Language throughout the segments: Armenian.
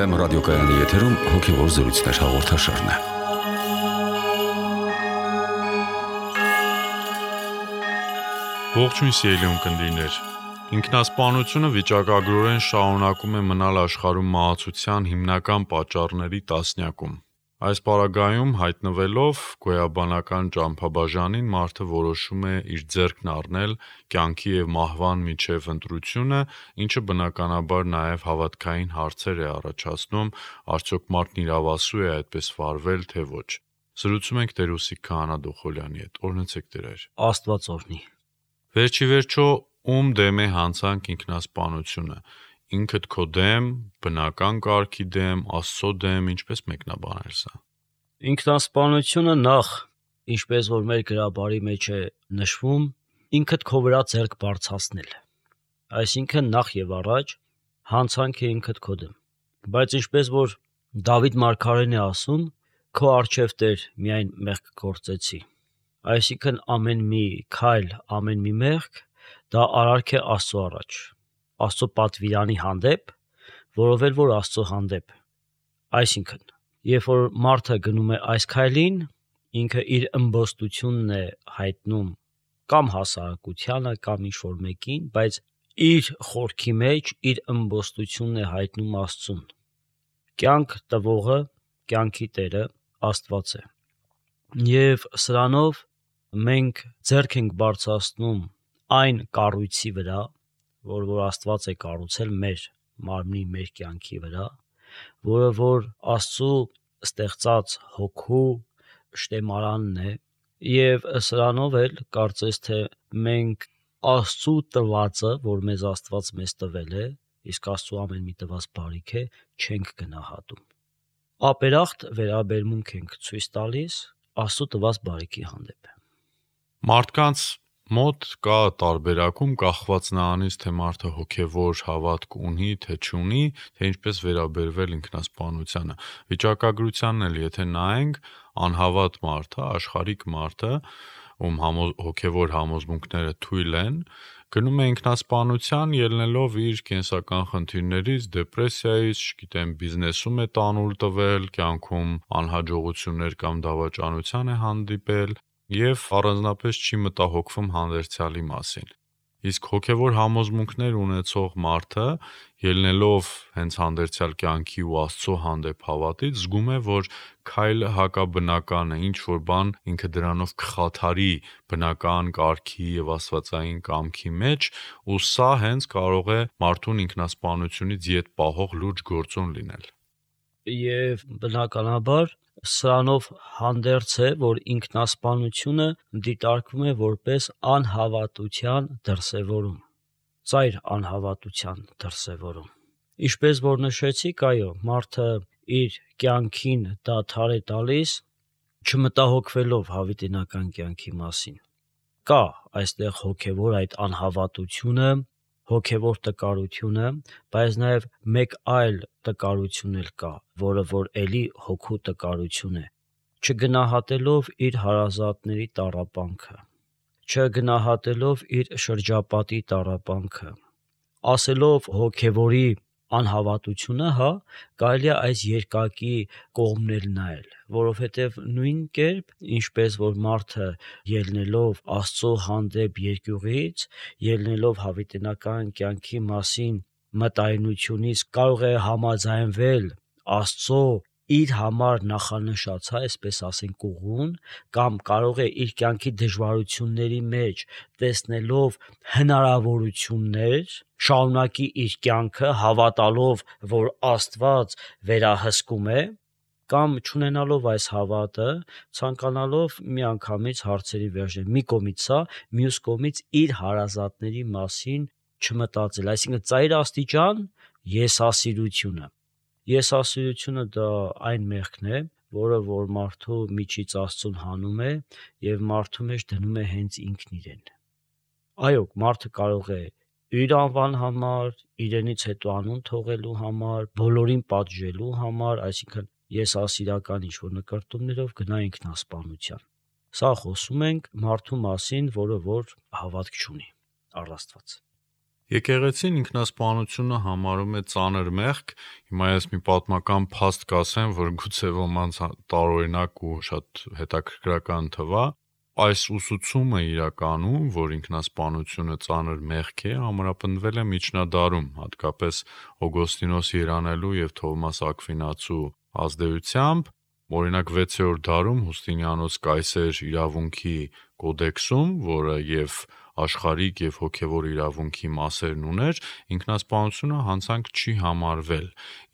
FM ռադիոկայանի եթերում հոգևոր զրույցներ հաղորդաշարն է։ Ողջույն սիրելի ունկնդիրներ։ Ինքնասպանությունը վիճակագրորեն շարունակում է մնալ աշխարհում մահացության հիմնական պատճառների տասնյակում։ Այս պարագայում հայտնվելով գոյաբանական ճամփաբաժանին մարդը որոշում է իր ձեռքն առնել կյանքի և մահվան միջև ընտրությունը, ինչը բնականաբար նաև հավատքային հարցեր է առաջացնում, արդյոք մարդն իրավասու է այդպես վարվել, թե ոչ։ Զրուցում ենք Տեր Ուսիկ Քահանա Դոխոլյանի հետ։ Օրհնեցեք Տեր։ Աստված օրհնի։ Վերջիվերջո ում դեմ է հանցանք ինքնասպանությունը։ Ինքդ քո դեմ, բնական կարգի դեմ, Աստծո դեմ, ինչպես մեկնաբանել սա։ Ինքնասպանությունը նախ, ինչպես որ մեր գրաբարի մեջ է նշվում, ինքդ քո վրա ձեռք բարձրացնել։ Այսինքն նախ եւ առաջ հանցանք է ինքդ քո դեմ։ Բայց ինչպես որ Դավիթ մարգարեն է ասում, քո առջև Տեր միայն մեղք գործեցի։ Այսինքն ամեն մի քայլ, ամեն մի մեղք դա արարք է Աստծո առաջ, Աստծո պատվիրանի հանդեպ, որովհետև որ Աստծո հանդեպ։ Այսինքն, երբ որ մարդը գնում է այս քայլին, ինքը իր ըմբոստությունն է հայտնում կամ հասարակությանը, կամ ինչ-որ մեկին, բայց իր խորքի մեջ իր ըմբոստությունն է հայտնում Աստծուն։ Կյանք տվողը, կյանքի Տերը Աստված է։ Եվ սրանով մենք ձեռք ենք բարձրացնում այն կառույցի վրա, որ Աստված է կառուցել մեր մարմնի, մեր կյանքի վրա, որը որ Աստծո ստեղծած հոգու շտեմարանն է, եւ սրանով էլ կարծես թե մենք Աստծո տվածը, որ մեզ Աստված մեզ տվել է, իսկ Աստծո ամեն մի տված բարիք է, չենք գնահատում։ Ապերախտ վերաբերմունք ենք ցույց տալիս Աստծո տված բարիքի հանդեպ։ Մարդկանց մոտ կա տարբերակում կախված նրանից, թե մարդը հոգևոր հավատք ունի, թե չունի, թե ինչպես վերաբերվել ինքնասպանությանը։ Վիճակագրությանն էլ եթե նայենք, անհավատ մարդը, աշխարհիկ մարդը, ում հոգևոր համոզմունքները թույլ են, գնում է ինքնասպանության ելնելով իր կենսական խնդիրներից, դեպրեսիայից, չգիտեմ, բիզնեսում է տանուլ տվել, կյանքում անհաջողություններ կամ դավաճանության է հանդիպել եւ առանձնապես չի մտահոգվում հանդերձյալի մասին։ Իսկ հոգևոր համոզմունքներ ունեցող մարդը, ելնելով հենց հանդերձյալ կյանքի ու Աստծո հանդեպ հավատից, զգում է, որ քայլը հակաբնական է, ինչ որ բան ինքը դրանով կխաթարի բնական կարգի եւ աստվածային կամքի մեջ, ու սա հենց կարող է մարդուն ինքնասպանությունից ետ պահող լուրջ գործոն լինել։ Եվ բնականաբար սրանով հանդերձ է, որ ինքնասպանությունը դիտարկվում է որպես անհավատության դրսևորում, ծայր անհավատության դրսևորում։ Ինչպես որ նշեցիք, այո, մարդը իր կյանքին դադար է տալիս, չմտահոգվելով հավիտենական կյանքի մասին։ Կա այստեղ հոգևոր այդ անհավատությունը, հոգևոր տկարությունը, բայց նաև մեկ այլ տկարություն էլ կա, որը որ էլի հոգու տկարություն է, չգնահատելով իր հարազատների տառապանքը, չգնահատելով իր շրջապատի տառապանքը, ասելով հոգևորի անհավատությունը, կարելի է այս երկակի կողմն նայել, որովհետև նույն կերպ, ինչպես որ մարդը ելնելով Աստծո հանդեպ երկյուղից, ելնելով հավիտենական կյանքի մասին մտայնությունից կարող է համաձայնվել Աստծո իր համար նախանշած, այսպես ասենք, ուղուն, կամ կարող է իր կյանքի դժվարությունների մեջ տեսնելով հնարավորություններ շարունակի իր կյանքը հավատալով, որ Աստված վերահսկում է, կամ չունենալով այս հավատը, ցանկանալով միանգամից հարցերի վերջել, մի կողմից սա, մյուս կողմից իր հարազատների մասին չմտածել, այսինքն ծայր աստիճան եսասիրությունը։ Եսասիրությունը դա այն մեղքն է, որը որ մարդու միջից Աստծուն հանում է եւ մարդու մեջ դնում է հենց ինքն իրեն։ Այո, մարդը կարող է իր անվան համար, իրենից հետո անուն թողելու համար, բոլորին պատժելու համար, այսինքն եսասիրական ինչ-որ նկարտումներով գնա ինքնասպանության։ Սա խոսում ենք մարդու մասին, որը որ հավատք չունի առ Աստված։ Եկեղեցին ինքնասպանությունը համարում է ծանր մեղք։ Հիմա ես մի պատմական փաստ կասեմ, որ գուցե ոմանց տարօրինակ ու շատ հետաքրքրական թվա։ Այս ուսուցումը իրականում, որ ինքնասպանությունը ծանր մեղք է, ամրապնդվել է միջնադարում, հատկապես Օգոստինոս Երանելու եւ Թովմաս Ակվինացու ազդեցությամբ։ Օրինակ 6-րդ դարում Հուստինիանոս Կայսեր իրավունքի կոդեքսում, որը եւ աշխարհիկ եւ հոգեվոր իրավունքի մասերն ուներ, ինքնասպանությունը հանցանք չի համարվել,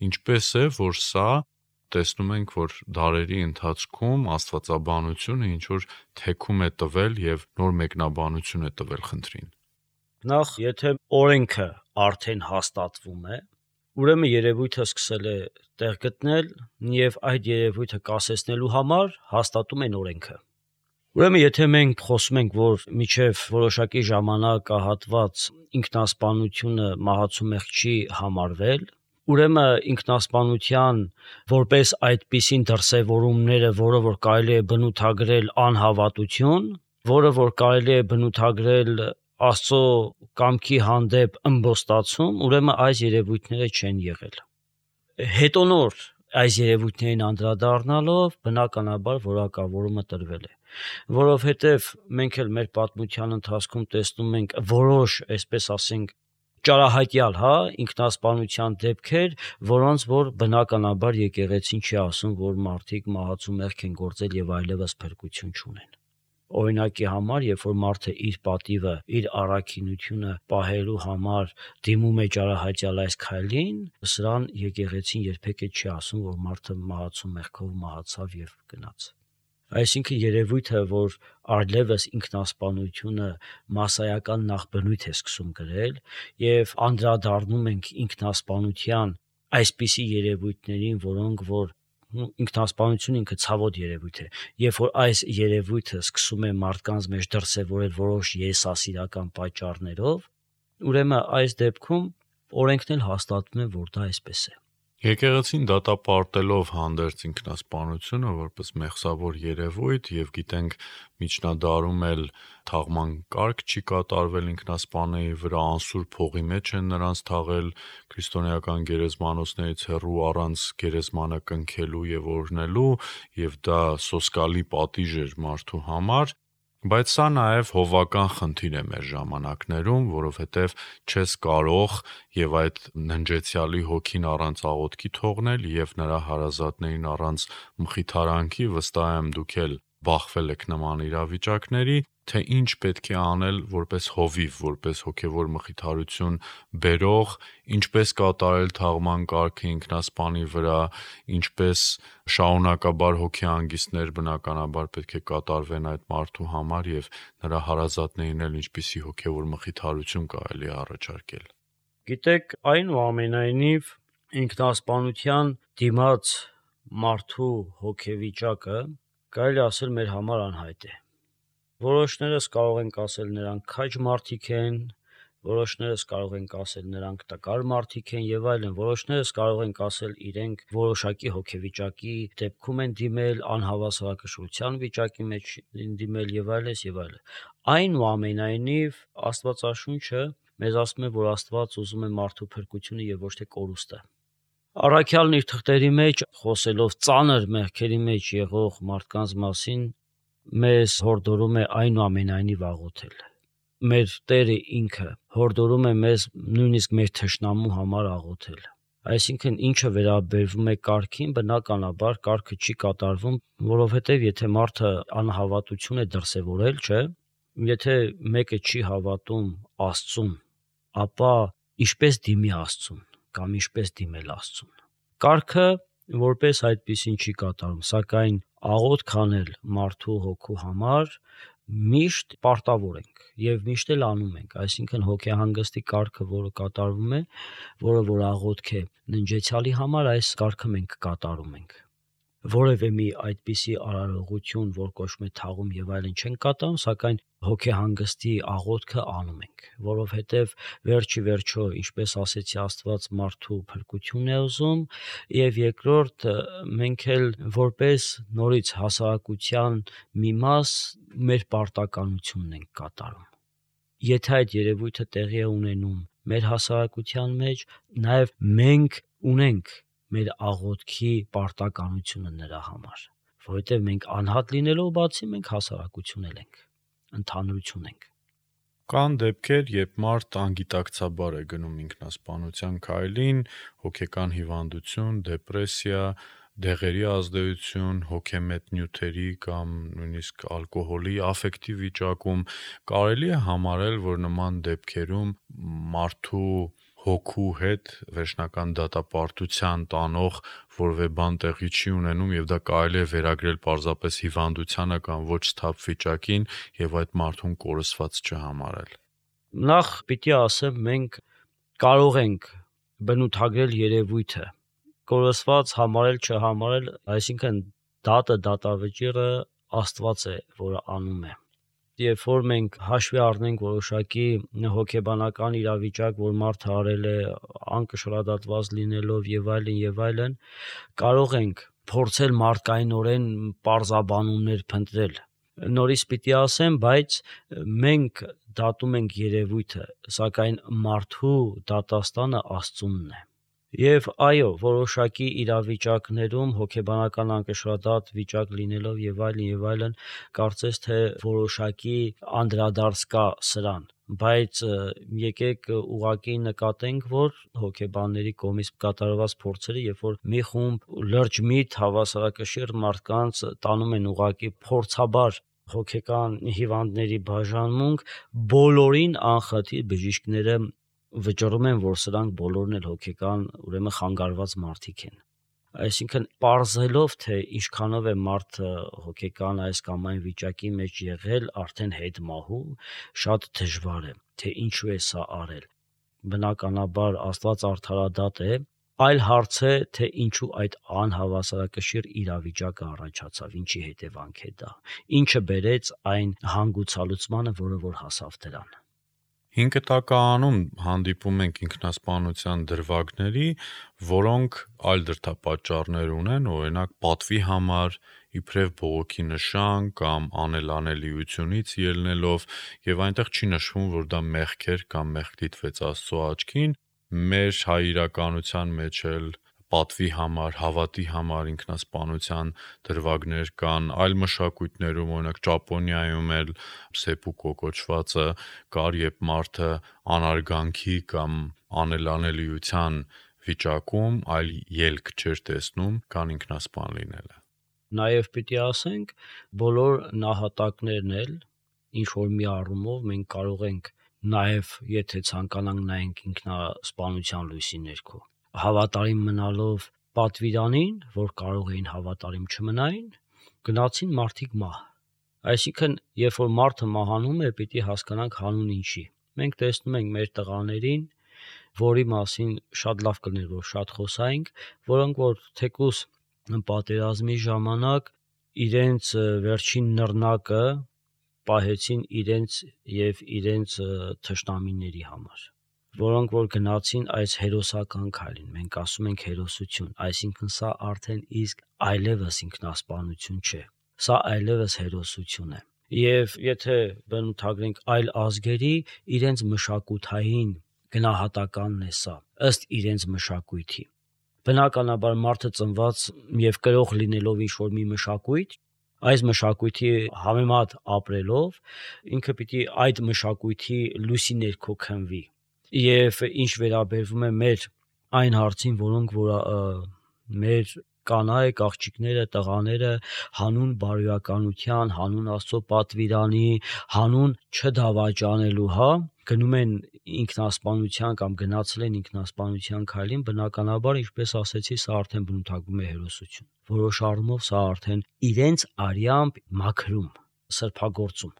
ինչպես է, որ սա տեսնում ենք, որ դարերի ընթացքում աստվածաբանությունը ինչ որ թեքում է տվել եւ նոր մեկնաբանություն է տվել խնդրին։ Նախ, եթե օրենքը արդեն հաստատվում է, ուրեմն երևույթը սկսել է տեղ գտնել եւ այդ երևույթը կասեցնելու համար հաստատում են օրենքը։ Ուրեմն եթե մենք խոսում ենք, որ միջև որոշակի ժամանակահատված ինքնասպանությունը մահացու մեղք չի համարվել, ուրեմն ինքնասպանության որպես այդպիսին դրսևորումները, որը որ կարելի է բնութագրել անհավատություն, որը որ կարելի է բնութագրել Աստծո կամքի հանդեպ ըմբոստացում, ուրեմն այս երևույթները չեն եղել։ Հետո նոր այս երևույթներին անդրադառնալով բնականաբար որակավորումը տրվել է, որովհետև մենք էլ մեր պատմության ընթացքում տեսնում ենք որոշ, այսպես ասենք, ճարահայտյալ, ինքնասպանության դեպքեր, որոնց որ բնականաբար եկեղեցին չի ասում, որ մարդիկ մահացու մեղք են գործել եւ այլևս փրկություն չունեն։ Օրինակի համար, երբ որ մարդը իր պատիվը, իր առաքինությունը պահելու համար դիմում է ճարահայտյալ այս քայլին, սրան եկեղեցին երբեք չի ասում, որ մարդը մահացու մեղքով մահացավ եւ գնաց։ Այսինքն երևույթը, որ այլևս ինքնասպանությունը մասսայական նախբնույթ է սկսում գրել եւ անդրադառնում ենք ինքնասպանության այսպիսի երևույթներին, որոնք որ ինքնասպանությունը ինքը ցավոտ երևույթ է, երբ որ այս երևույթը սկսում է մարդկանց մեջ դրսևորել որոշ եսասիրական պատճառներով, ուրեմն այս դեպքում օրենքն էլ հաստատվում է, որ դա այսպես է։ Եկեղեցին դատապարտելով հանդերձ ինքնասպանությունը որպես մեղսավոր երևույթ եւ գիտենք միջնադարում էլ թաղման կարգ չի կատարվել ինքնասպանների վրա, անսուրբ փողի մեջ են նրանց թաղել քրիստոնեական գերեզմանոցներից հեռու առանց գերեզմանը կնքելու եւ օրհնելու եւ դա սոսկալի պատիժ էր մարդու համար։ Բայց սա նաև հովական խնդիր է մեր ժամանակներում, որովհետև չես կարող եւ այդ ննջեցյալի հոգին առանց աղոթքի թողնել եւ նրա հարազատներին առանց մխիթարանքի, վստահ եմ դուք էլ բախվել եք նման իրավիճակների, թե ինչ պետք է անել որպես հովիվ, որպես հոգևոր մխիթարություն բերող, ինչպես կատարել թաղման կարգը ինքնասպանի վրա, ինչպես շարունակաբար հոգեհանգիստներ բնականաբար պետք է կատարվեն այդ մարդու համար եւ նրա հարազատներին էլ ինչպիսի հոգևոր մխիթարություն կարելի է առաջարկել։ Գիտեք, այնուամենայնիվ ինքնասպանության դիմաց մարդու հոգեվիճակը կարելի ասել մեր համար անհայտ է։ Որոշներս կարող ենք ասել նրանք քաջ մարդիկ են, որոշներս կարող ենք ասել նրանք տկար մարդիկ են եւ այլն, որոշներս կարող ենք ասել իրենք որոշակի հոգեվիճակի դեպքում են դիմել, անհավասարակշռության վիճակի մեջ դիմել եւ այլն եւ այլն։ Այնուամենայնիվ Աստվածաշունչը մեզ ասում է, որ Աստված ուզում է մարդու փրկությունը եւ ոչ թե կորուստը։ Առաքյալն իր թղթերի մեջ խոսելով ծանր մեղքերի մեջ եղող մարդկանց մասին մեզ հորդորում է այնուամենայնիվ աղոթել։ Մեր Տերը ինքը հորդորում է մեզ նույնիսկ մեր թշնամու համար աղոթել։ Այսինքն ինչը վերաբերվում է կարգին, բնականաբար կարգը չի կատարվում, որովհետև եթե մարդը անհավատություն է դրսևորել, չէ, եթե մեկը չի հավատում Աստծուն, ապա ինչպես դիմի Աստծուն կամ ինչպես դիմել Աստծուն։ Կարգը որպես այդպիսին չի կատարում, սակայն աղոթք անել մարդու հոգու համար միշտ պարտավոր ենք եւ միշտ էլ անում ենք, այսինքն հոգեհանգստի կարգը, որը կատարվում է, որը որ աղոթք է ննջեցյալի համար, այս կարգը մենք կատարում ենք։ Որևէ մի այդպիսի արարողություն, որ կոչվում է թաղում եւ այլն չեն կատարում, սակայն հոգեհանգստի աղոթքը անում ենք, որովհետեւ վերջի վերջո, ինչպես ասեցի, Աստված մարդու փրկությունն է ուզում, եւ երկրորդ մենք էլ որպես նորից հասարակության մի մաս մեր պարտականությունն ենք կատարում։ Եթե այդ երևույթը տեղի է ունենում մեր հասարակության մեջ, նաև մենք ունենք մեր աղոթքի պարտականությունը նրա համար, որովհետև մենք անհատ լինելով բացի մենք հասարակություն ենք, ընդհանրություն ենք։ Կան դեպքեր, երբ մարդ անգիտակցաբար է գնում ինքնասպանության քայլին, հոգեկան հիվանդություն, դեպրեսիա, դեղերի ազդեցություն, հոգեմետ նյութերի կամ նույնիսկ ալկոհոլի աֆեկտիվ վիճակում կարելի է համարել, որ նման դեպքերում մարդու հոգու հետ վերջնական դատապարտության տանող որևէ բան տեղի չի ունենում եւ դա կարելի է վերագրել պարզապես հիվանդությանը կամ ոչ սթափ վիճակին եւ այդ մարդուն կորսված չհամարել։ Նախ պիտի ասեմ, մենք կարող ենք բնութագրել երևույթը, կորսված համարել չհամարել, այսինքն դատավճիռը Աստված է, որը անում է։ Երբ որ մենք հաշվի առնենք որոշակի հոգեբանական իրավիճակ, որ մարդը արել է անկշռադատված լինելով եւ այլն, կարող ենք փորձել մարդկայնորեն պարզաբանումներ փնտրել։ Նորից պիտի ասեմ, բայց մենք դատում ենք երևույթը, սակայն մարդու դատաստանը Աստծունն է։ Եվ այո, որոշակի իրավիճակներում հոգեբանական անկշռադատ վիճակ լինելով եւ այլն, կարծես թե որոշակի անդրադարձ կա սրան, բայց եկեք ուղղակի նկատենք, որ հոգեբանների կողմից կատարված փորձերը, երբ որ մի խումբ լրջմիտ հավասարակշիռ մարդկանց տանում են ուղղակի փորձաբար հոգեկան հիվանդների բաժանմունք, բոլորին անխտիր բժիշկները վճռում են, որ սրանք բոլորն էլ հոգեկան, ուրեմն խանգարված մարդիկ են։ Այսինքն պարզելով, թե ինչքանով է մարդը հոգեկան այս կամ այն վիճակի մեջ եղել, արդեն հետմահու, շատ դժվար է, թե ինչու է սա արել։ Բնականաբար Աստված արդարադատ է, այլ հարց է, թե ինչու այդ անհավասարակշիռ իրավիճակը առաջացավ, ինչի հետևանք է դա, ինչը բերեց այն հանգուցալուծմանը, որը որ հասավ դրան։ 5 տականում հանդիպում ենք ինքնասպանության դրվագների, որոնք այլ դրդապատճառներ ունեն, օրինակ պատվի համար, իբրև բողոքի նշան կամ անելանելիությունից ելնելով, եւ այնտեղ չի նշվում, որ դա մեղք էր կամ մեղք դիտվեց Աստծո աչքին, մեր հայ իրականության մեջ էլ պատվի համար, հավատի համար ինքնասպանության դրվագներ կան, այլ մշակույթներում, օրինակ Ճապոնիայում էլ սեպուկո կոչվածը կար, երբ մարդը անարգանքի կամ անելանելիության վիճակում այլ ելք չէր տեսնում, քան ինքնասպան լինելը։ Նաև պիտի ասենք, բոլոր նահատակներն էլ ինչ որ մի առումով մենք կարող ենք նաև, եթե ցանկանանք, նայենք ինքնասպանության լույսի ներքո։ Հավատարիմ մնալով պատվիրանին, որ կարող էին հավատարիմ չմնային, գնացին մարդիկ մահ։ Այսինքն, երբ որ մարդը մահանում է, պիտի հասկանանք հանուն ինչի։ Մենք տեսնում ենք մեր տղաներին, որի մասին շատ լավ կներ, որ շատ խոսայինք, որոնք որ թեկուզ պատերազմի ժամանակ իրենց վերջին նռնակը պահեցին իրենց եւ իրենց թշնամիների համար, որոնք որ գնացին այս հերոսական քայլին, մենք ասում ենք հերոսություն, այսինքն սա արդեն իսկ այլևս ինքնասպանություն չէ, սա այլևս հերոսություն է։ Եվ եթե բնութագրենք այլ ազգերի, իրենց մշակութային գնահատականն է սա, ըստ իրենց մշակույթի։ Բնականաբար մարդը ծնված եւ կրող լինելով ինչ որ մի մշակույթ, այս մշակույթի համեմատ ապրելով, ինքը պիտի այդ մշակույթի լույսի ներքո քնվի։ Եվ ինչ վերաբերվում է մեր այն հարցին, որոնք որ մեր կանայք, աղջիկները, տղաները հանուն բարոյականության, հանուն Աստծո պատվիրանի, հանուն չդավաճանելու, գնում են ինքնասպանության կամ գնացել են ինքնասպանության քայլին, բնականաբար, ինչպես ասեցի, սա արդեն բնութագրում է հերոսություն։ Որոշ առումով սա արդեն իրենց արյամբ մաքրում, սրբագործում,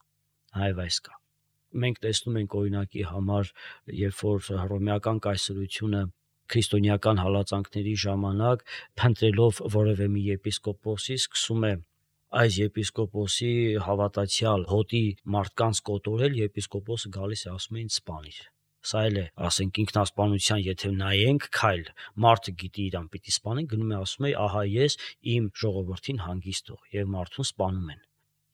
այվ այս կա։ Մենք տեսնում ենք օրինակի համար, երբ որ հռոմեական կայսրությունը քրիստոնեական հալածանքների ժամանակ փնտրելով որևէ մի եպիսկոպոսի սկսում է այս եպիսկոպոսի հավատացյալ հոտի մարդկանց կոտորել, եպիսկոպոսը գալիս է ասում են սպանիր։ Սա էլ է, ասենք ինքնասպանության, եթե նայենք քայլ, մարդը գիտի իրան պիտի սպանեն, գնում է ասում է, ահա ես իմ ժողովրդին հանգիստ տող, եւ մարդուն սպանում են։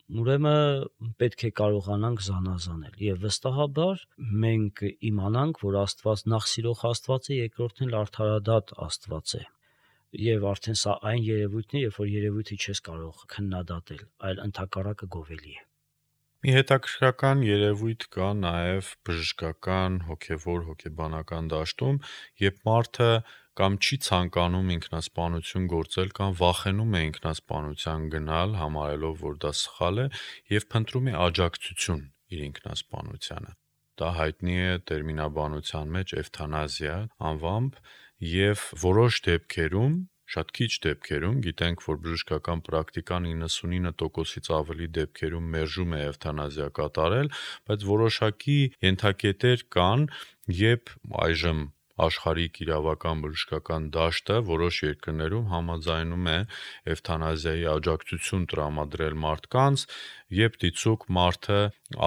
ուրեմն պետք է կարողանանք զանազանել եւ վստահաբար մենք իմանանք, որ Աստված նախ սիրող Աստված է, երկրորդն էլ արդարադատ Աստված է։ Եվ արդեն սա այն երևույթն է, երբ որ երևույթը չես կարող քննադատել, այլ ընդհակառակը գովելի է։ Մի հետաքրքրական երևույթ կա նաև բժշկական, հոգևոր, հոգեբանական դաշտում, երբ մարդը կամ չի ցանկանում ինքնասպանություն գործել կամ վախենում է ինքնասպանության գնալ, համարելով, որ դա սխալ է, եւ փնտրում է աջակցություն իր ինքնասպանությանը։ Դա հայտնի է տերմինաբանության մեջ էվթանազիա անվամբ, եւ որոշ դեպքերում, շատ քիչ դեպքերում, գիտենք, որ բժշկական պրակտիկան 99%-ից ավելի դեպքերում մերժում է էվթանազիա կատարել, բայց որոշակի ենթակետեր կան, երբ այժմ աշխարհիկ իրավական բժշկական դաշտը որոշ երկրներում համաձայնում է էվթանազիայի աջակցություն տրամադրել մարդկանց, երբ դիցուք մարդը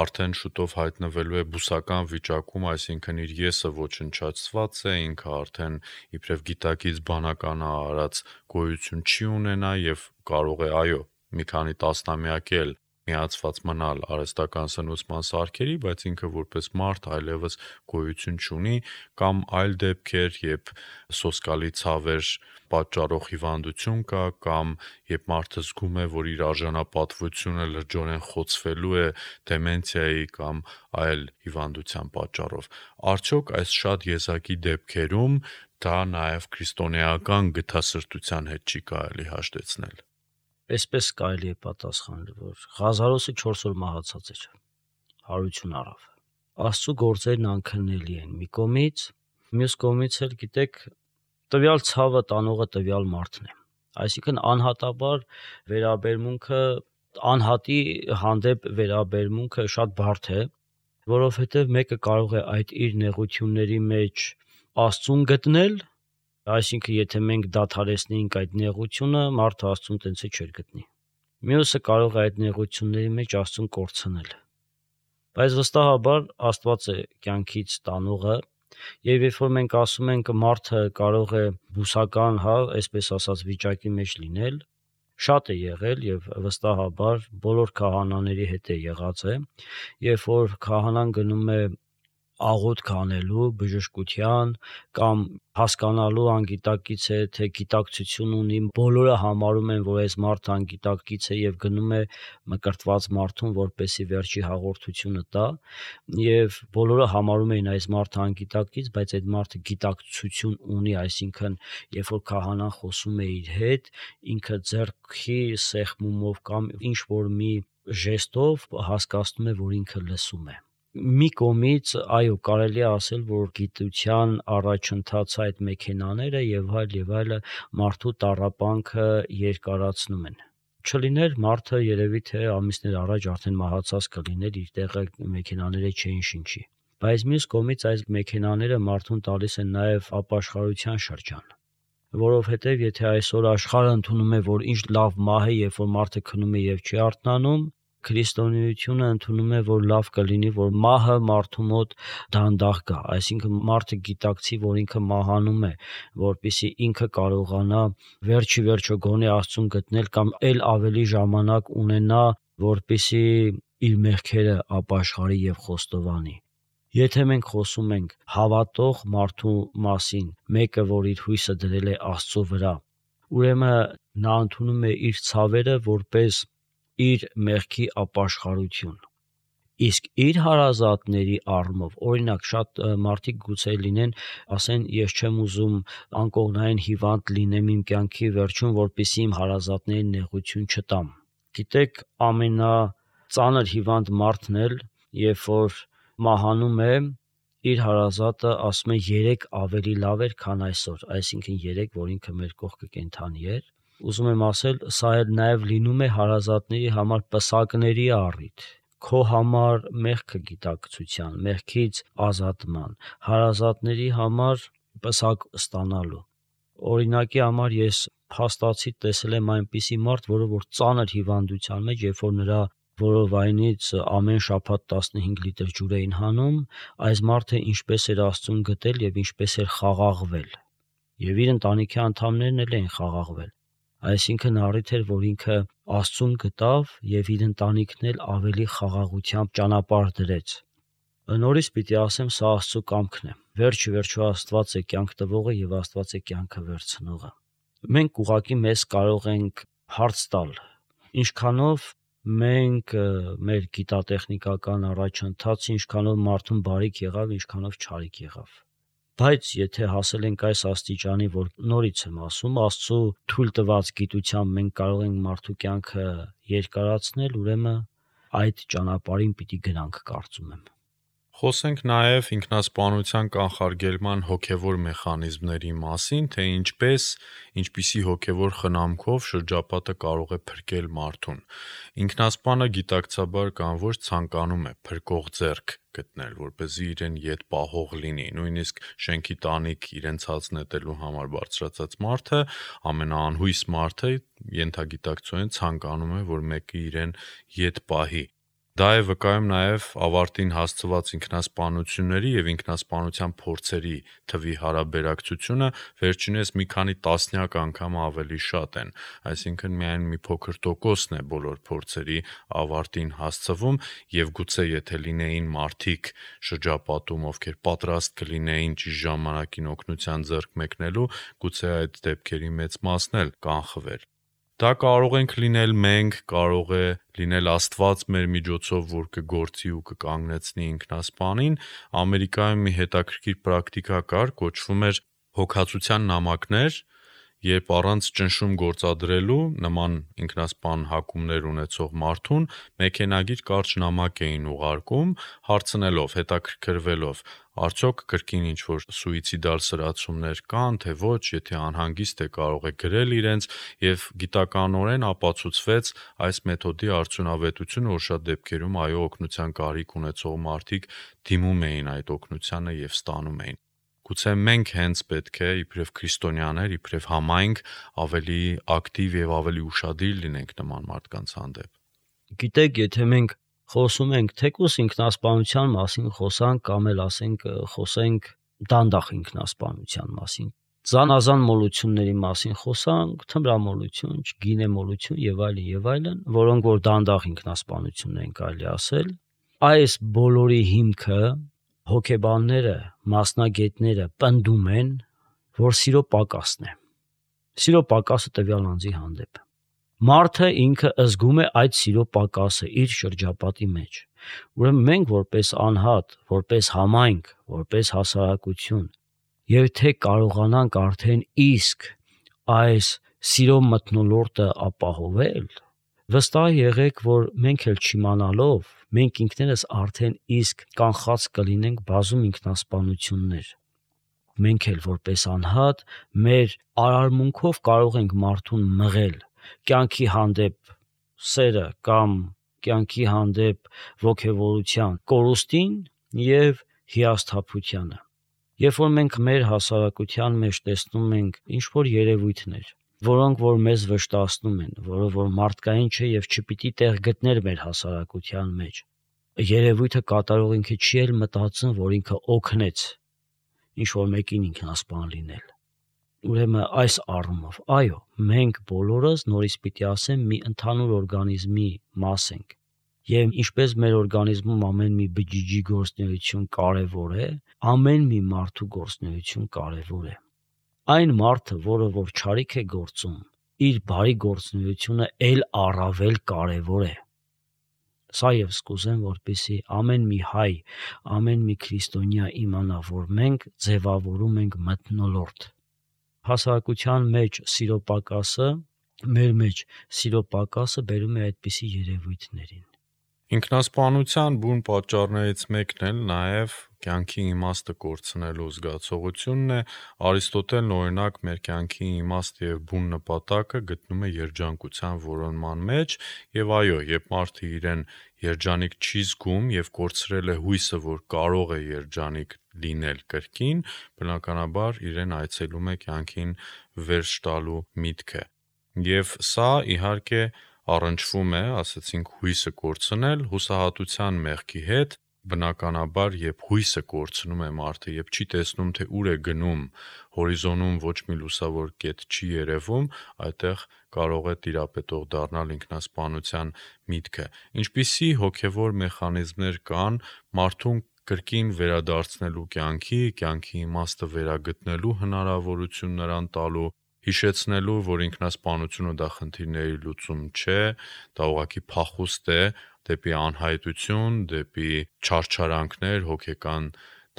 արդեն շուտով հայտնվելու է բուսական վիճակում, այսինքն իր եսը ոչնչացված է, ինքը արդեն իբրև գիտակից բանականա արած գոյություն չի ունենա եւ կարող է, այո, մի քանի տասնամյակ էլ միացված մնալ արհեստական սնուցման սարքերի, բայց ինքը որպես մարդ այլևս գոյություն չունի, կամ այլ դեպքեր, երբ սոսկալի ցավեր պատճառող հիվանդություն կա, կամ երբ մարդը զգում է, որ իր արժանապատվությունը լրջորեն խոցվելու է դեմենցիայի կամ այլ հիվանդության պատճառով։ Արդյոք այս շատ եզակի դեպքերում դա նաև քրիստոնեական գթասրտության հետ չի կարելի հաշտեցնել։ Այսպես կարելի է պատասխանել, որ Ղազարոսը 4 օր մահացած էր, հարություն առավ։ Աստծո գործերն անքննելի են մի կողմից, մյուս կողմից էլ գիտեք, տվյալ ցավը տանողը տվյալ մարդն է։ Այսինքն անհատաբար վերաբերմունքը, անհատի հանդեպ վերաբերմունքը շատ բարդ է, որովհետև մեկը կարող է այդ իր նեղությունների մեջ Աստծուն գտնել, այսինքն եթե մենք դադարեցնեինք այդ նեղությունը, մարդը Աստծուն տենց է չէր գտնի։ Մյուսը կարող է այդ նեղությունների մեջ Աստծուն կորցնել։ Բայց վստահաբար Աստված է կյանքից տանողը, եւ երբ որ մենք ասում ենք մարդը կարող է բուսական, այսպես ասած վիճակի մեջ լինել, շատ է եղել եւ վստահաբար բոլոր քահանաների հետ է եղած է, երբ որ քահանան գնում է աղոթք անելու բժշկության կամ հասկանալու անգիտակից է, թե գիտակցություն ունի, բոլորը համարում են, որ այս մարդը անգիտակից է եւ գնում է մկրտված մարդուն, որպեսի վերջի հաղորդությունը տա, եւ բոլորը համարում էին այս մարդը անգիտակից, բայց այդ մարդը գիտակցություն ունի, այսինքն երբ որ քահանան խոսում է իր հետ, ինքը ձեռքի սեղմումով կամ ինչ որ մի ժեստով հասկացնում է, որ ինքը լսում է։ Մի կողմից, այո, կարելի է ասել, որ գիտության առաջընթացը այդ մեքենաները եւ այլը մարդու տառապանքը երկարացնում են։ Չլիներ մարդը երևի թե ամիսներ առաջ արդեն մահացած կլիներ, իր տեղը մեքենաները չէին շնչի։ Բայց մյուս կողմից այս մեքենաները մարդուն տալիս են նաեւ ապաշխարության շրջան։ Որովհետեւ եթե այսօր աշխարհը ընդունում է, որ ինչ լավ մահ է, երբ որ մարդը քնում է եւ չի արթնանում, քրիստոնեությունը ընդունում է, որ լավ կլինի, որ մահը մարդու մոտ դանդաղ գա, այսինքն մարդը գիտակցի, որ ինքը մահանում է, որպեսզի ինքը կարողանա վերջի վերջո գոնե Աստծուն գտնել կամ ել ավելի ժամանակ ունենա, որպեսզի իր մեղքերը ապաշխարի եւ խոստովանի։ Եթե մենք խոսում ենք հավատող մարդու մասին, մեկը, որ իր հույսը դրել է Աստծո վրա, ուրեմն նա ընդունում է իր ցավերը որպես իր մեղքի ապաշխարություն։ Իսկ իր հարազատների առումով, օրինակ, շատ մարդիկ գուցե լինեն, ասեն, ես չեմ ուզում անկողնային հիվանդ լինեմ իմ կյանքի վերջում, որպեսզի իմ հարազատներին նեղություն չտամ։ Գիտեք, ամենածանր հիվանդ մարդն էլ, երբ որ մահանում է, իր հարազատը ասում է 3 ավելի լավ էր, քան այսօր, այսինքն 3, որ ինքը մեր կողքը կենթանի էր։ Ուզում եմ ասել, սա էլ նաև լինում է հարազատների համար պսակների առիթ, քո համար մեղքը գիտակցության, մեղքից ազատման, հարազատների համար պսակ ստանալու։ Օրինակի համար ես փաստացի տեսել եմ այնպիսի մարդ, որը որ ծանր հիվանդության մեջ, երբ որ նրա որովայնից ամեն շաբաթ 15 լիտր ջուր էին հանում, այս մարդը ինչպես էր Աստծուն գտել եւ ինչպես էր խաղաղվել։ Եվ իր ընտանիքի անդամներն էլ էին խաղաղվել։ Այսինքն առիթ էր, որ ինքը Աստծուն գտավ եւ իր ընտանիքն էլ ավելի խաղաղությամբ ճանապարհ դրեց։ Նորից պիտի ասեմ, սա Աստծո կամքն է։ Վերջը Աստված է կյանք տվողը եւ Աստված է կյանքը վերցնողը։ Մենք ուղղակի մեզ կարող ենք հարց տալ, ինչքանով մենք մեր գիտատեխնիկական առաջընթացը, ինչքանով մարդուն բարիք եղավ, ինչքանով չարիք եղավ։ Բայց եթե հասել ենք այս աստիճանի, որ նորից եմ ասում, Աստծո թույլ տված գիտությամբ մենք կարող ենք մարդու կյանքը երկարացնել, ուրեմն այդ ճանապարհին պիտի գնանք, կարծում եմ։ Խոսենք նաև ինքնասպանության կանխարգելման հոգևոր մեխանիզմների մասին, թե ինչպիսի հոգևոր խնամքով շրջապատը կարող է փրկել մարդուն։ Ինքնասպանը գիտակցաբար կամ ոչ ցանկանում է փրկող ձեռք գտնել, որպեսզի իրեն ետ պահող լինի։ Նույնիսկ շենքի տանիք իրեն ցած նետելու համար բարձրացած մարդը, ամենաանհույս մարդը ենթագիտակցորեն ցանկանում է, որ մեկը իրեն ետ պահի։ Դա է վկայում նաև ավարտին հասցված ինքնասպանությունների եւ ինքնասպանության փորձերի թվի հարաբերակցությունը վերջինս մի քանի տասնյակ անգամ ավելի շատ են, այսինքն միայն մի փոքր տոկոսն է բոլոր փորձերի ավարտին հասցվում եւ գուցե եթե լինեին մարդիկ շրջապատում, ովքեր պատրաստ կլինեին ճիշտ ժամանակին օգնության ձեռք մեկնելու, գուցե այդ դեպքերի մեծ մասն էլ կանխվեր։ Դա կարող ենք լինել մենք, կարող է լինել Աստված մեր միջոցով, որ կգործի ու կկանգնեցնի ինքնասպանին։ Ամերիկայում մի հետաքրքիր պրակտիկա կար, կոչվում էր հոգացության նամակներ, երբ առանց ճնշում գործադրելու նման ինքնասպան հակումներ ունեցող մարդուն մեքենագիր կարճ նամակ էին ուղարկում, հարցնելով, հետաքրքրվելով, արդյոք կրկին ինչ-որ սուիցիդալ սրացումներ կան, թե ոչ, եթե անհանգիստ է կարող է գրել իրենց եւ գիտականորեն ապացուցվեց այս մեթոդի արդյունավետությունը, որ շատ դեպքերում այո օգնության կարիք ունեցող մարդիկ դիմում էին այդ օգնությանը եւ ստանում էին։ Գուցե մենք հենց պետք է իբրև քրիստոնյաներ, իբրև համայնք ավելի ակտիվ եւ ավելի ուշադիր լինենք նման մարդկանց հանդեպ։ Գիտեք, եթե մենք խոսում ենք թեկուզ ինքնասպանության մասին խոսանք կամ էլ ասենք խոսենք դանդաղ ինքնասպանության մասին, զանազան մոլությունների մասին խոսանք, թմրամոլություն, գինեմոլություն եւ այլն, որոնք որ դանդաղ ինքնասպանություններ են կարելի ասել, այս բոլորի հիմքը հոգեբանները, մասնագետները պնդում են, որ սիրո պակասն է։ Սիրո պակասը տվյալ անձի հանդեպ։ Մարդը ինքը զգում է այդ սիրո պակասը իր շրջապատի մեջ։ Ուրեմն մենք որպես անհատ, որպես համայնք, որպես հասարակություն, եւ թե կարողանանք արդեն իսկ այս սիրո մթնոլորտը ապահովել, վստահ եղեք, որ մենք էլ չիմանալով, մենք ինքներս արդեն իսկ կանխած կլինենք բազում ինքնասպանություններ։ Մենք էլ որպես անհատ մեր արարմունքով կարող ենք մարդուն մղել կյանքի հանդեպ սերը կամ կյանքի հանդեպ ոգևորության կորուստին եւ հիասթափությանը։ Երբ որ մենք մեր հասարակության մեջ տեսնում ենք ինչ-որ երևույթներ, որոնք որ մեզ վշտացնում են, որը որ մարդկային չէ եւ չպիտի տեղ գտներ մեր հասարակության մեջ, երևույթը կատարող ինքը չի էլ մտածում, որ ինքը օգնեց ինչ-որ մեկին ինքնասպան լինել։ Ուրեմն այս առումով, այո, մենք բոլորս նորից պիտի ասեմ մի ընդհանուր օրգանիզմի մաս ենք։ Եվ ինչպես մեր օրգանիզմում ամեն մի բջիջի գործունեություն կարևոր է, ամեն մի մարդու գործունեություն կարևոր է։ Այն մարդը, որը որ չարիք է գործում, իր բարի գործունեությունը էլ առավել կարևոր է։ Սա ես կուզեմ, որպեսզի ամեն մի հայ, ամեն մի քրիստոնյա իմանա, որ մենք ձևավորում ենք մթնոլորտ։ Հասարակության մեջ սիրո պակասը, մեր մեջ սիրո պակասը բերում է այդպիսի երևույթներին։ Ինքնասպանության բուն պատճառներից մեկն էլ նաև կյանքի իմաստը կորցնելու զգացողությունն է։ Արիստոտելն օրինակ մեր կյանքի իմաստը եւ բուն նպատակը գտնում է երջանկության որոնման մեջ, եւ այո, երբ մարդը իրեն երջանիկ չի զգում եւ կորցրել է հույսը, որ կարող է երջանիկ լինել կրկին, բնականաբար իրեն այցելում է կյանքին վերջ տալու միտքը։ Եվ սա իհարկե առնչվում է, ասեցինք, հույսը կորցնել հուսահատության մեղքի հետ, բնականաբար, երբ հույսը կորցնում է մարդը, երբ չի տեսնում, թե ուր է գնում, հորիզոնում ոչ մի լուսավոր կետ չի երևում, այդտեղ կարող է տիրապետող դառնալ ինքնասպանության միտքը։ Ինչպիսի հոգևոր մեխանիզմներ կան մարդուն կրկին վերադարձնելու կյանքի իմաստը վերագտնելու հնարավորություն նրան տալու, հիշեցնելու, որ ինքնասպանությունը դա խնդիրների լուծում չէ, դա ուղղակի փախուստ է դեպի անհայտություն, դեպի չարչարանքներ, հոգեկան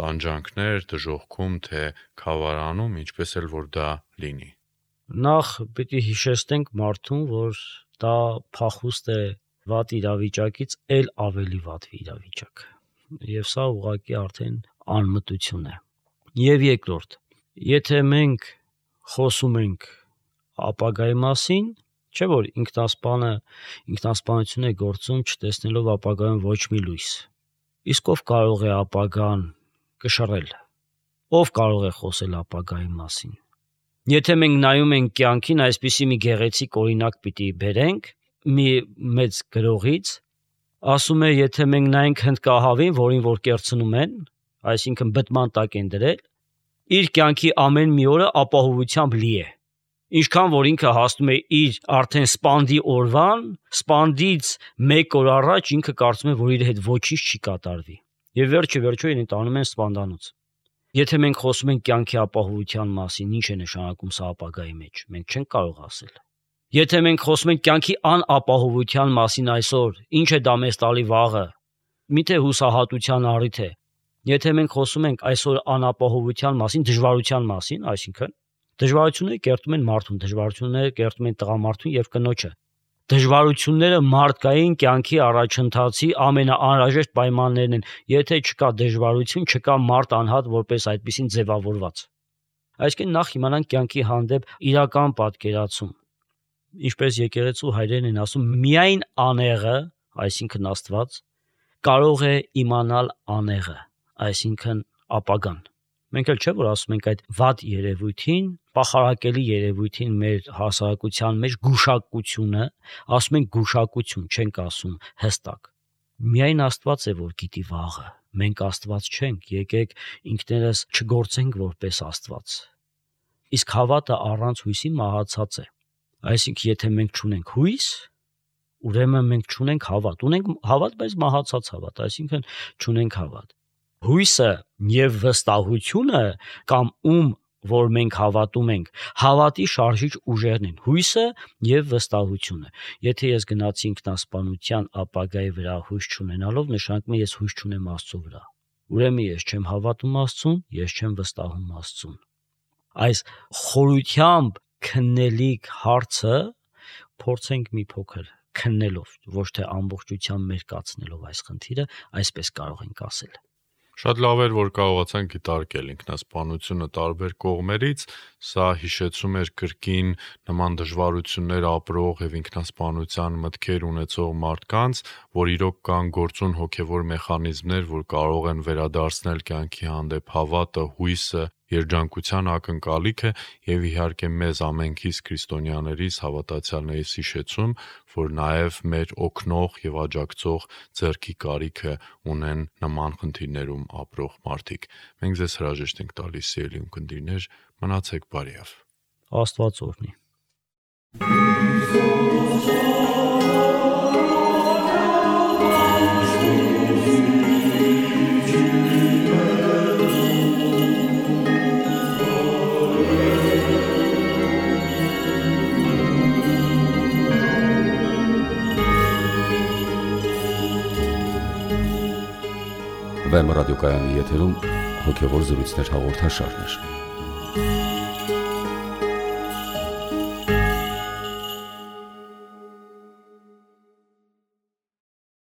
տանջանքներ, դժոխքում, թե քավարանում, ինչպես էլ որ դա լինի։ Նախ պիտի հիշեցնենք մարդուն, որ դա փախուստ է վատ իրավիճակից էլ ավելի վատ իրավիճակ։ Եվ սա ուղղակի արդեն անմտություն է։ Եվ երկրորդ, եթե մենք խոսում ենք ապագայի մասին, չէ՞ որ ինքնասպանություն է գործում չտեսնելով ապագայում ոչ մի լույս։ Իսկ ով կարող է ապագան կշռել։ Ով կարող է խոսել ապագայի մասին։ Եթե մենք նայում ենք կյանքին, այսպիսի մի գեղեցիկ օրինակ պիտի բերենք մի մեծ գրողից, ասում է, եթե մենք նայենք հնդկահավին, որին որ կերցնում են, այսինքն բտման տակ են դրել, իր կյանքի ամեն մի օրը ապահովությամբ լի է։ Ինչքան որ ինքը հասնում է իր արդեն սպանդի օրվան, սպանդից 1 օր առաջ ինքը կարծում է, որ իր հետ ոչինչ չի կատարվի։ Եվ վերջը իրեն տանում են սպանդանոց։ Եթե մենք խոսում ենք կյանքի ապահովության մասին, ինչ է նշանակում սա ապագայի մեջ, մենք չենք կարող ասել։ Եթե մենք խոսում ենք կյանքի անապահովության մասին այսօր, ինչ է դա մեզ տալի վաղը, միթե հուսահատության առիթ է։ Եթե մենք խոսում ենք այսօր անապահովության մասին, դժվարության մասին, այսինքն դժվարությունները կերտում են մարդուն, դժվարությունները կերտում են տղամարդուն եւ կնոջը։ Դժվարությունները մարդկային կյանքի առաջընթացի ամենաանհրաժեշտ պայմաններն են։ Եթե չկա դժվարություն, չկա մարդ անհատ որպես այդպեսին ձևավորված։ Այսինքն նախ իմանանք կյանքի հանդեպ իրական պատկերացում։ Ինչպես եկեղեցու հայրերն են ասում, միայն անեղը, այսինքն Աստված, կարող է իմանալ անեղը, այսինքն ապագան։ Մենք էլ չէ որ ասում ենք այդ վատ երևույթին, պախարակելի երևույթին մեր հասարակության մեջ գուշակությունը, ասում ենք գուշակություն, չենք ասում հստակ։ Միայն Աստված է որ գիտի վաղը։ Մենք Աստված չենք, եկեք ինքներս չգործենք որպես Աստված։ Իսկ հավատը առանց հույսի մահացած է։ Այսինքն եթե մենք չունենք հույս, ուրեմն մենք չունենք հավատ։ Ունենք հավատ, բայց մահացած հավատ, այսինքն չունենք հավատ։ Հույսը եւ վստահությունը կամ որ մենք հավատում ենք, հավատի շարժիչ ուժերն են, հույսը եւ վստահությունը։ Եթե ես գնացի ինքնասպանության ապագայի վրա հույս չունենալով, նշանակում է ես հույս չունեմ Աստծո վրա։ Ուրեմն ես չեմ հավատում Աստծուն, ես չեմ վստահում Աստծուն։ Այս խորությամբ քննելիք հարցը փորձենք մի փոքր քննելով, ոչ թե ամբողջությամբ մերկացնելով այս խնդիրը, այսպես կարող ենք ասել։ Շատ լավ էր, որ կարողացանք դիտարկել ինքնասպանությունը տարբեր կողմերից, սա հիշեցում էր կրկին նման դժվարություններ ապրող եւ ինքնասպանության մտքեր ունեցող մարդկանց, որ իրոք կան գործուն հոգեվոր մեխանիզմներ, որ կարող են վերադարձնել կյանքի հանդեպ հավատը, հույսը, երջանկության ակնկալիքը եւ իհարկե մեզ ամենքիս քրիստոնյաներիս հավատացյալներիս հիշեցում, որ նաեւ մեր օգնող եւ աջակցող ձեռքի կարիքը ունեն նման խնդիրներում ապրող մարդիկ։ Մենք ձեզ հրաժեշտ ենք տալիս, սիրելի ունկնդիրներ, մնացեք բարիավ։ Աստված օրհնի։ Վեմ ռադիոկայանի եթերում հոգևոր զրույցներ հաղորդաշարներ։